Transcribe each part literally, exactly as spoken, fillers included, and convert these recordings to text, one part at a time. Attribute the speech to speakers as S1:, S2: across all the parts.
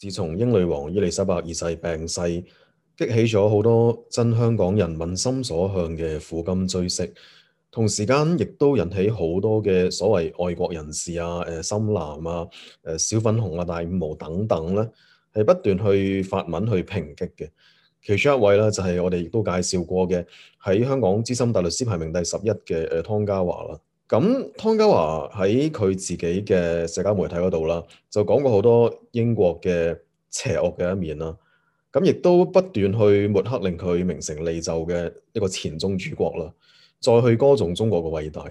S1: 自從英女王伊麗莎白二世病逝，激起咗好多真香港人民心所向嘅苦今追昔，同時間亦都引起好多嘅所謂愛國人士啊、誒深藍啊、誒小粉紅啊、大五毛等等咧，係不斷去發文去抨擊嘅。其中一位咧就係我哋亦都介紹過嘅，喺香港資深大律師排名第十一嘅誒湯家驊啦。咁湯家驊喺佢自己嘅社交媒體嗰度啦，就講過好多英國嘅邪惡嘅一面啦。咁亦都不斷去抹黑令佢名成利就嘅一個前宗主國啦，再去歌頌中國嘅偉大。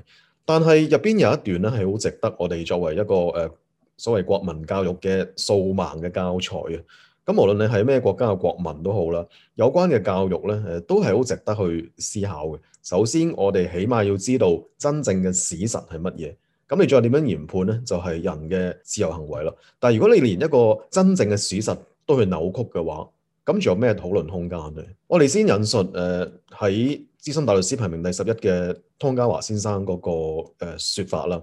S1: 但係入邊有一段咧係好值得我哋作為一個誒、呃、所謂國民教育嘅掃盲嘅教材啊。咁無論你係咩國家嘅國民都好啦，有關嘅教育咧誒都係好值得去思考嘅。首先，我哋起碼要知道真正嘅史實係乜嘢。咁你再點樣研判咧，就係、是、人嘅自由行為啦。但係如果你連一個真正嘅史實都去扭曲嘅話，咁仲有咩討論空間呢？我哋先引述誒喺資深大律師排名第十一嘅湯家驊先生嗰、那個誒、呃、說法啦。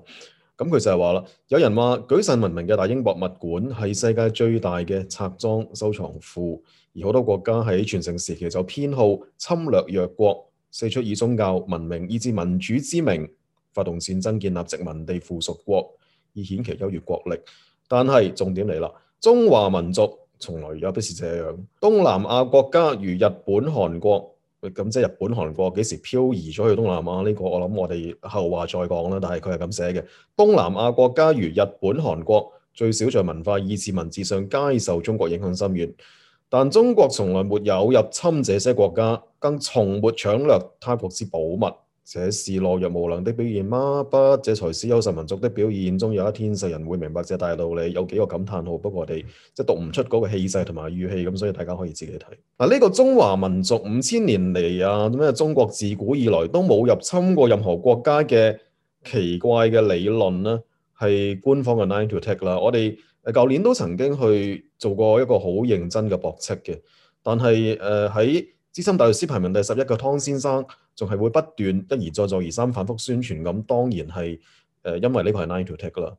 S1: 咁佢就係話啦，有人話舉世聞名嘅大英博物館係世界最大嘅冊莊收藏庫，而好多國家喺全盛時期就偏好侵略弱國，四出以宗教、文明以至民主之名發動戰爭建立殖民地附屬國，以顯其優越國力。但係重點嚟啦，中華民族從來也不是這樣。東南亞國家如日本、韓國。咁即係日本、韓國幾時漂移咗去東南亞呢個？我諗我哋後話再講啦。但係佢係咁寫嘅：東南亞國家如日本、韓國，最少在文化以至文字上皆受中國影響深遠。但中國從來沒有入侵這些國家，更從沒搶掠他國之寶物。這是懦弱無能的表現嗎？不，這才是優秀民族的表現。終有一天世人會明白這大道理。有幾個感嘆號，不過我哋即係讀唔出嗰個氣勢同埋語氣，咁所以大家可以自己睇。嗱，呢個中華民族五千年嚟啊，咩中國自古以來都冇入侵過任何國家嘅奇怪嘅理論呢，係官方嘅 nine to take 啦。我哋誒舊年都曾經去做過一個好認真嘅駁斥嘅，但係誒喺資深大律師排名第十一嘅湯先生，仲係會不斷一而再再而三反覆宣傳，咁當然係誒、呃，因為呢個係 nine to take 啦。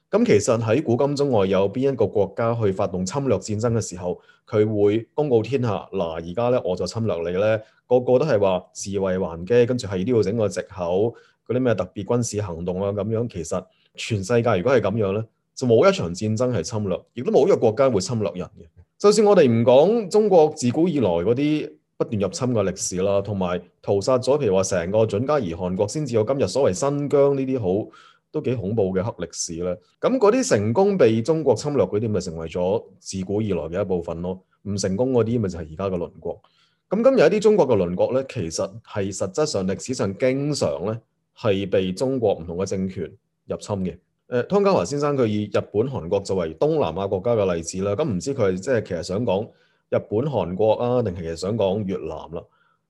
S1: 咁其實喺古今中外有邊一個國家去發動侵略戰爭嘅時候，佢會公告天下嗱，而家咧我就侵略你咧，個個都係話自衛還擊，跟住係都要整個藉口嗰啲咩特別軍事行動啊咁樣。其實全世界如果係咁樣咧，就冇一場戰爭係侵略，亦都冇一個國家會侵略人嘅。就算我哋唔講中國自古以來嗰啲不斷入侵嘅歷史啦，同埋屠殺咗，譬如話成個準噶爾汗國先至有今日所謂新疆呢啲好都幾恐怖嘅黑歷史咧。咁嗰啲成功被中國侵略嗰啲，咪成為咗自古以來嘅一部分咯。唔成功嗰啲，咪就係而家嘅鄰國。咁今日一啲中國嘅鄰國咧，其實係實質上歷史上經常咧係被中國唔同嘅政權入侵嘅。誒，湯家驊先生佢以日本、韓國作為東南亞國家嘅例子啦。咁唔知佢係即係其實想講日本、韓國啊，定係其實想講越南啦？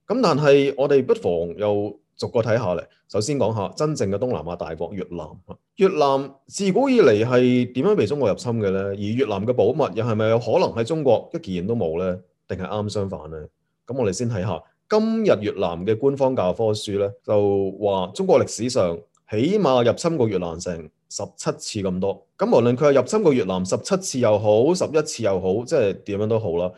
S1: 咁但係我哋不妨又逐個睇下嚟。首先講下真正嘅東南亞大國越南。越南自古以嚟係點樣被中國入侵嘅咧？而越南嘅寶物又係咪有可能喺中國一件都冇咧？定係啱相反咧？咁我哋先睇下今日越南嘅官方教科書咧，就話中國歷史上起碼入侵過越南成十七次咁多。咁無論佢係入侵過越南十七次又好，十一次又好，即係點樣都好啦。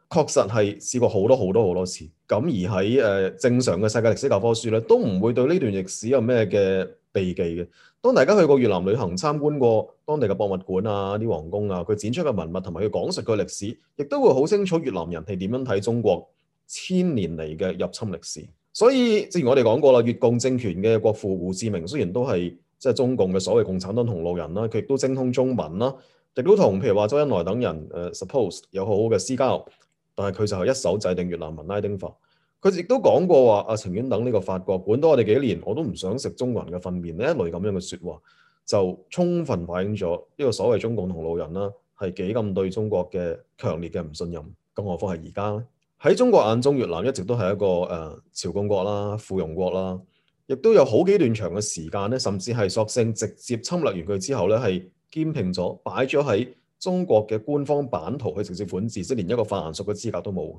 S1: 確實係試過好多好多好多次。咁而喺誒、呃、正常嘅世界歷史教科書咧，都唔會對呢段歷史有咩嘅避忌嘅。當大家去過越南旅行，參觀過當地嘅博物館啊、啲皇宮啊，佢展出嘅文物同埋佢講述嘅歷史，亦都會好清楚越南人係點樣睇中國千年嚟嘅入侵歷史。所以正如我哋講過啦，越共政權嘅國父胡志明雖然都係即係中共嘅所謂共產黨同路人啦，佢亦都精通中文啦，亦都同譬如話周恩來等人誒、呃、suppose 有好好嘅私交。但係佢就係一手制定越南文拉丁化。佢亦都講過話啊，情願等呢個法國管多我哋幾年，我都唔想食中國人嘅糞便呢一類咁樣嘅説話，就充分反映咗呢個所謂中共同路人啦，係幾咁對中國嘅強烈嘅唔信任。更何況係而家咧，喺中國眼中，越南一直都係一個誒、呃、朝貢國啦、附庸國啦，亦都有好幾段長嘅時間咧，甚至係索性直接侵略完佢之後咧，係兼併咗擺咗喺中國嘅官方版圖去直接管治，即係連一個泛屬嘅資格都冇。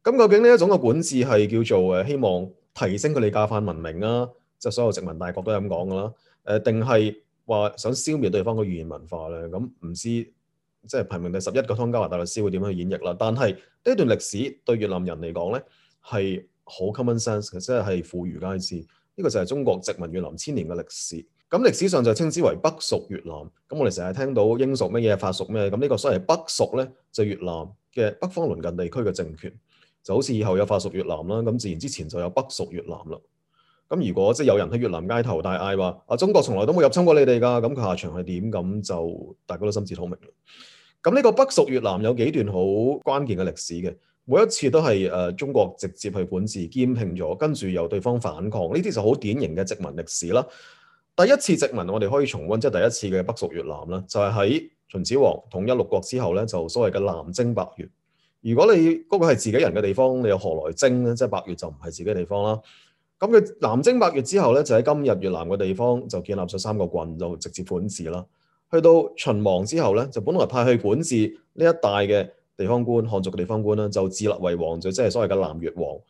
S1: 咁究竟呢一種嘅管治係叫做誒希望提升佢哋價範文明啊，即係所有殖民大國都係咁講噶啦。誒定係話想消滅對方嘅語言文化咧？咁唔知即係排名第十一個湯加華大律師會點樣去演繹啦。但係呢一段歷史對越南人嚟講咧係好 common sense 嘅，即係係婦孺皆知。呢個就係中國殖民越南千年嘅歷史。咁歷史上就稱之為北屬越南。咁我哋成日聽到英屬乜嘢、法屬咩，咁呢個所謂北屬咧就係越南嘅北方鄰近地區嘅政權，就好似以後有法屬越南啦，咁自然之前就有北屬越南啦。咁如果即係有人喺越南街頭大嗌話啊，中國從來都冇入侵過你哋㗎，咁佢下場係點？咁就大家都心知肚明啦。咁呢個北屬越南有幾段好關鍵嘅歷史嘅，每一次都係誒、呃、中國直接去管治兼併咗，跟住由對方反抗，呢啲就好典型嘅殖民歷史啦。第一次殖民我哋可以重溫，即係第一次嘅北屬越南啦，就係、是、喺秦始皇統一六國之後咧，就所謂嘅南征百越。如果你嗰、那個係自己人嘅地方，你又何來征咧？即係百越就唔係自己地方啦。咁佢南征百越之後咧，就喺今日越南嘅地方就建立咗三個郡，就直接管治啦。去到秦亡之後咧，就本來派去管治呢一帶嘅地方官，漢族嘅地方官啦，就自立為王，就即係所謂嘅南越王。呢、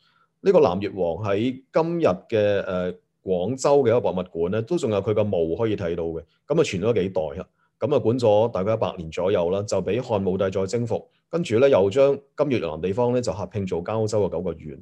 S1: 這個南越王喺今日嘅誒、呃、廣州嘅一個博物館咧，都仲有佢個墓可以睇到嘅。咁啊傳咗幾代啊，咁啊管咗大概一百年左右啦，就俾漢武帝再征服，跟住咧又將今越南地方咧就合併做交州嘅九個縣。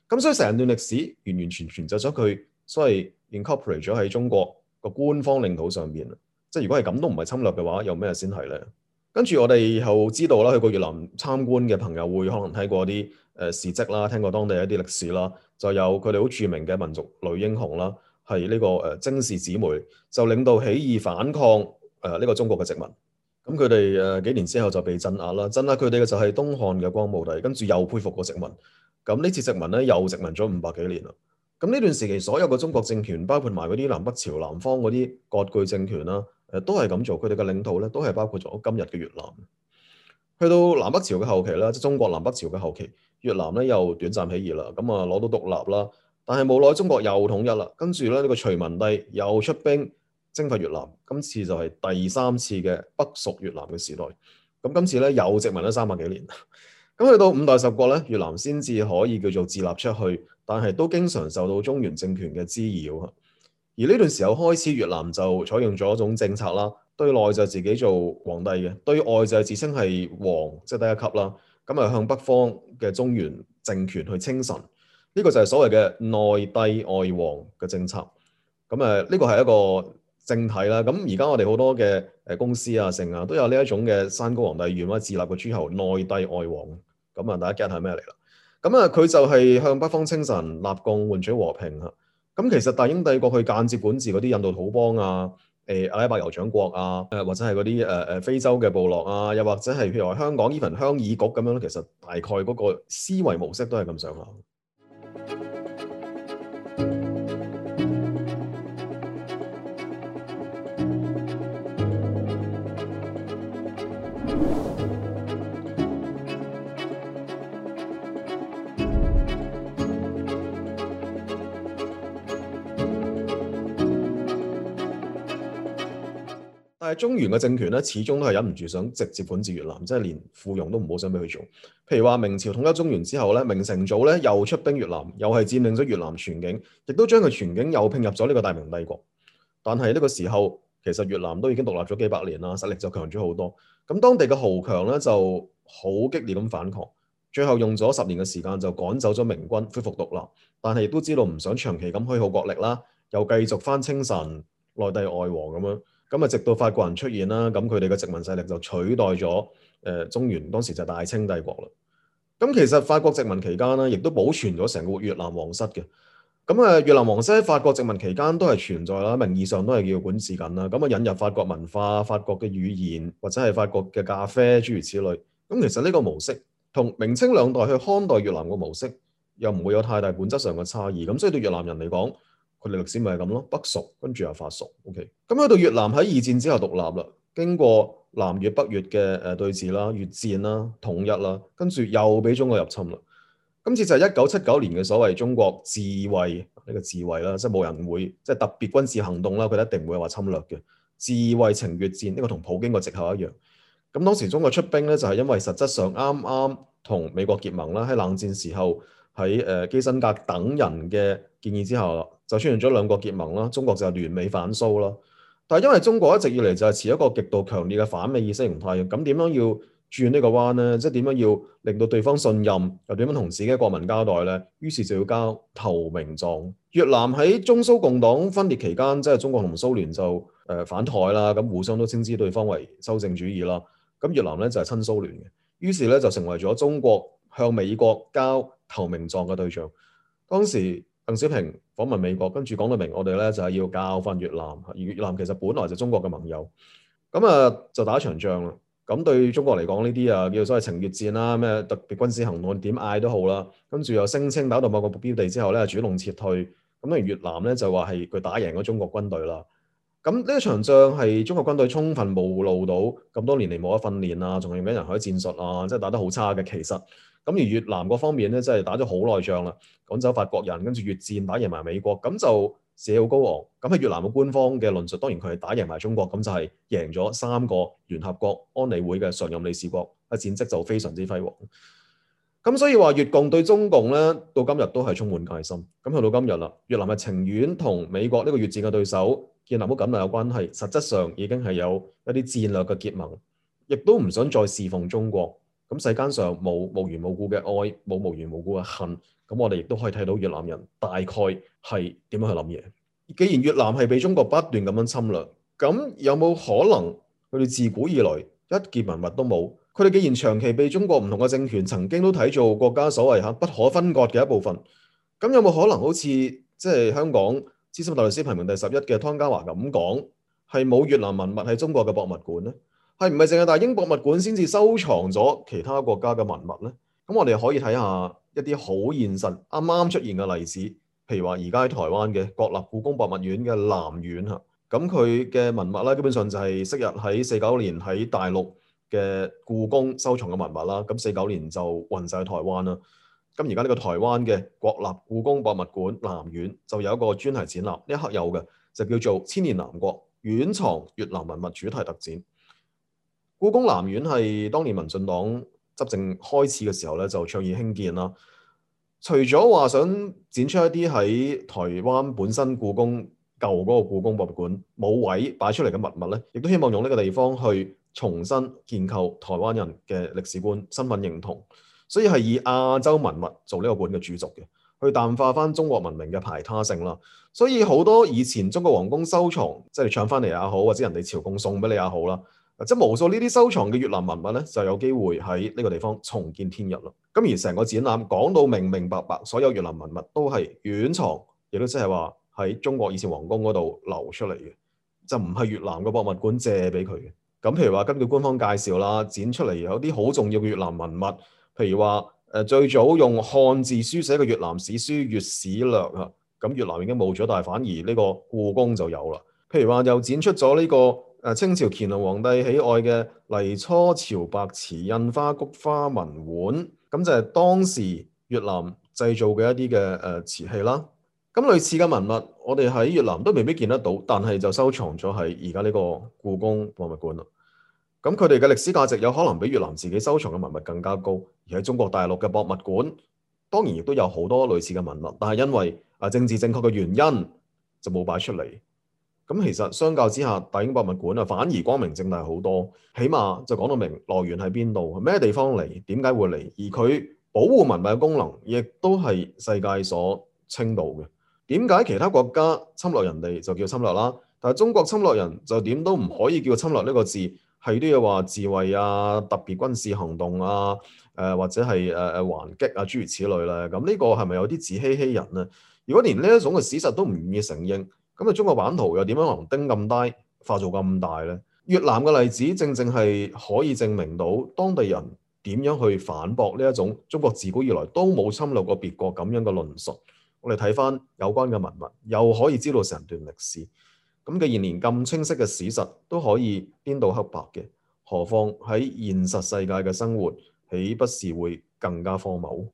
S1: 咁所以成段歷史完完全全就將佢所謂 incorporate 咗喺中國個官方領土上邊。即係如果係咁都唔係侵略嘅話，有咩先係咧？跟住我哋又知道啦，去過越南參觀嘅朋友會可能睇過啲誒事蹟啦，聽過當地一啲歷史啦，就有佢哋好著名嘅民族女英雄啦，係呢個誒甄氏姊妹，就領導起義反抗誒呢個中國嘅殖民。咁佢哋誒幾年之後就被鎮壓啦，鎮壓佢哋嘅就係東漢嘅光武帝，跟住又恢復過殖民。咁呢次殖民咧又殖民咗五百幾年啦。咁呢段時期所有嘅中國政權，包括埋嗰啲南北朝南方嗰啲割據政權啦，誒都係咁做。佢哋嘅領土咧都係包括咗今日嘅越南。去到南北朝嘅後期啦，即係中國南北朝嘅後期，越南咧又短暫起義啦，咁啊攞到獨立啦。但係冇耐中國又統一啦，跟住咧呢個隋文帝又出兵征伐越南，今次就係第三次嘅北屬越南嘅時代。咁今次咧又殖民咗三百幾年。咁去到五代十國咧，越南先至可以叫做自立出去，但係都經常受到中原政權嘅滋擾。而呢段時候開始，越南就採用咗一種政策啦，對內就自己做皇帝嘅，對外就係自稱係王，即係第一級啦。咁啊向北方嘅中原政權去稱臣，呢個就係所謂嘅內帝外王嘅政策。咁誒呢個係一個政體啦。咁而家我哋好多嘅誒公司啊、城啊都有呢一種嘅山高皇帝遠或者自立嘅諸侯，內帝外王。咁啊，大家 get 係咩嚟啦？咁啊，佢就係向北方稱臣、立貢，換取和平啊。咁其實大英帝國去間接管治嗰啲印度土邦啊、誒、呃、阿拉伯酋長國啊、誒或者係嗰啲誒誒非洲嘅部落啊，又或者係譬如話香港 even 鄉議局咁樣，其實大概嗰個思維模式都係咁上下。但係中原嘅政權咧，始終都係忍唔住想直接管治越南，即係連附庸都唔好想俾佢做。譬如話明朝統一中原之後咧，明成祖咧又出兵越南，又係佔領咗越南全境，亦都將佢全境又拼入咗呢個大明帝國。但係呢個時候，其實越南都已經獨立咗幾百年啦，實力就強咗好多。咁當地嘅豪強咧就好激烈咁反抗，最後用咗十年嘅時間就趕走咗明軍，恢復獨立。但係亦都知道唔想長期咁虛耗國力啦，又繼續翻稱臣、內帝外王咁樣。咁啊，直到法國人出現啦，咁佢哋嘅殖民勢力就取代咗誒、呃、中原，當時就大清帝國啦。咁其實法國殖民期間咧，亦都保存咗成個越南皇室嘅。咁啊，越南皇室喺法國殖民期間都係存在啦，名義上都係叫管治緊啦。咁啊，引入法國文化、法國嘅語言或者係法國嘅咖啡諸如此類。咁其實呢個模式同明清兩代去看待越南嘅模式又唔會有太大本質上嘅差異。咁所以對越南人嚟講，佢哋歷史咪係咁咯，北屬跟住又法屬 ，OK。咁去到越南喺二戰之後獨立啦，經過南越北越嘅誒對峙啦、越戰啦、統一啦，跟住又俾中國入侵啦。今次就係一九七九年嘅所謂中國自衛呢、呢個自衛啦，即係冇人會即係特別軍事行動啦，佢哋一定唔會話侵略嘅。自衛情越戰呢、呢個同普京個藉口一樣。咁當時中國出兵咧，就係因為實質上啱啱同美國結盟啦，喺冷戰時候喺誒基辛格等人嘅建議之下，就出現咗兩國結盟啦，中國就聯美反蘇啦。但係因為中國一直以嚟就係持一個極度強烈嘅反美意識形態，咁點樣要轉呢個彎呢？即係點樣要令到對方信任，又點樣同自己嘅國民交代呢？於是就要交投名狀。越南喺中蘇共黨分裂期間，即係中國同蘇聯就誒、呃、反台啦，咁互相都稱之對方為修正主義啦。咁越南咧就係親蘇聯嘅，於是咧就成為咗中國向美國交投名狀嘅對象。當時鄧小平訪問美國，跟住講到明，我哋咧就係要教訓越南。而越南其實本來就中國嘅盟友，咁啊就打一場仗啦。咁對中國嚟講呢啲啊叫做所謂情越戰啦，咩特別軍事行動點嗌都好啦。跟住又聲稱打到某個目標地之後咧，主動撤退。咁當然越南咧就話係佢打贏咗中國軍隊啦。咁呢一場仗係中國軍隊充分暴露到咁多年嚟冇得訓練啊，仲係用緊人海戰術啊，即係打得好差嘅。其實咁而越南嗰方面咧，真係打咗好耐仗啦，趕走法國人，跟住越戰打贏埋美國，咁就士氣好高昂。咁喺越南嘅官方嘅論述，當然佢係打贏埋中國，咁就係贏咗三個聯合國安理會嘅常任理事國，啊戰績就非常之輝煌。咁所以話越共對中共咧，到今日都係充滿戒心。咁去到今日啦，越南係情願同美國呢個越戰嘅對手建立好緊密嘅關係，實質上已經係有一啲戰略嘅結盟，亦都唔想再侍奉中國。咁世間上冇無緣無故嘅愛，冇無緣無故嘅恨。咁我哋亦都可以睇到越南人大概係點樣去諗嘢。既然越南係被中國不斷咁樣侵略，咁有冇可能佢哋自古以來一件文物都冇？佢哋既然長期被中國唔同嘅政權曾經都睇做國家所謂嚇不可分割嘅一部分，咁有冇可能好似即係香港資深大律師排名第十一嘅湯家驊咁講，係冇越南文物喺中國嘅博物館呢？係唔係淨係大英博物館先至收藏咗其他國家嘅文物呢？咁我哋可以睇下一啲好現實啱啱出現嘅例子，譬如話而家喺台灣嘅國立故宮博物院嘅南院嚇，咁佢嘅文物咧基本上就係昔日喺四九年喺大陸嘅故宮收藏嘅文物啦，咁四九年就運晒去台灣啦。咁而家呢個台灣嘅國立故宮博物館南院就有一個專題展覽，呢一刻有嘅就叫做千年南國院藏越南文物主題特展。故宮南院係當年民進黨執政開始嘅時候咧，就倡議興建啦。除咗話想展出一啲喺台灣本身故宮舊嗰個故宮博物館冇位擺出嚟嘅文物咧，亦都希望用呢個地方去重新建構台灣人嘅歷史觀、身份認同，所以係以亞洲文物做呢個館嘅主軸嘅，去淡化翻中國文明嘅排他性啦。所以好多以前中國皇宮收藏，即係搶翻嚟也好，或者人哋朝貢送俾你也好啦，即係無數呢啲收藏嘅越南文物咧，就有機會喺呢個地方重見天日啦。咁而成個展覽講到明明白白，所有越南文物都係院藏，亦都即係話喺中國以前皇宮嗰度流出嚟嘅，就唔係越南嘅博物館借俾佢嘅。咁譬如話根據官方介紹啦，展出嚟有啲好重要嘅越南文物，譬如話誒最早用漢字書寫嘅越南史書《越史略》啊，咁越南已經冇咗，但係反而呢個故宮就有啦。譬如話又展出咗呢個誒清朝乾隆皇帝喜愛嘅黎初潮白瓷印花菊花文碗，咁就係當時越南製造嘅一啲嘅誒瓷器啦。咁類似嘅文物，我哋喺越南都未必見得到，但係就收藏咗喺而家呢個故宮博物館啦。咁佢哋嘅歷史價值有可能比越南自己收藏嘅文物更加高，而喺中國大陸嘅博物館，當然亦都有好多類似嘅文物，但係因為啊政治正確嘅原因就冇擺出嚟。咁其實相較之下，大英博物館啊反而光明正大好多，起碼就講到明來源喺邊度，咩地方嚟，點解會嚟，而佢保護文物嘅功能亦都係世界所稱道嘅。點解其他國家侵略人哋就叫侵略啦，但係中國侵略人就點都唔可以叫侵略呢個字，係都要話自衛啊、特別軍事行動啊、誒、呃、或者係誒誒還擊啊諸如此類咧？咁呢個係咪有啲自欺欺人呢？如果連呢一種嘅事實都唔願意承認，咁啊中國版圖又點樣能丁咁低化做咁大呢？越南嘅例子正正係可以證明到當地人點樣去反駁呢一種中國自古以來都冇侵略過別國咁樣嘅論述。我哋睇翻有關嘅文物，又可以知道成段歷史。咁既然連咁清晰嘅史實都可以顛倒黑白嘅，何況喺現實世界嘅生活，豈不是會更加荒謬？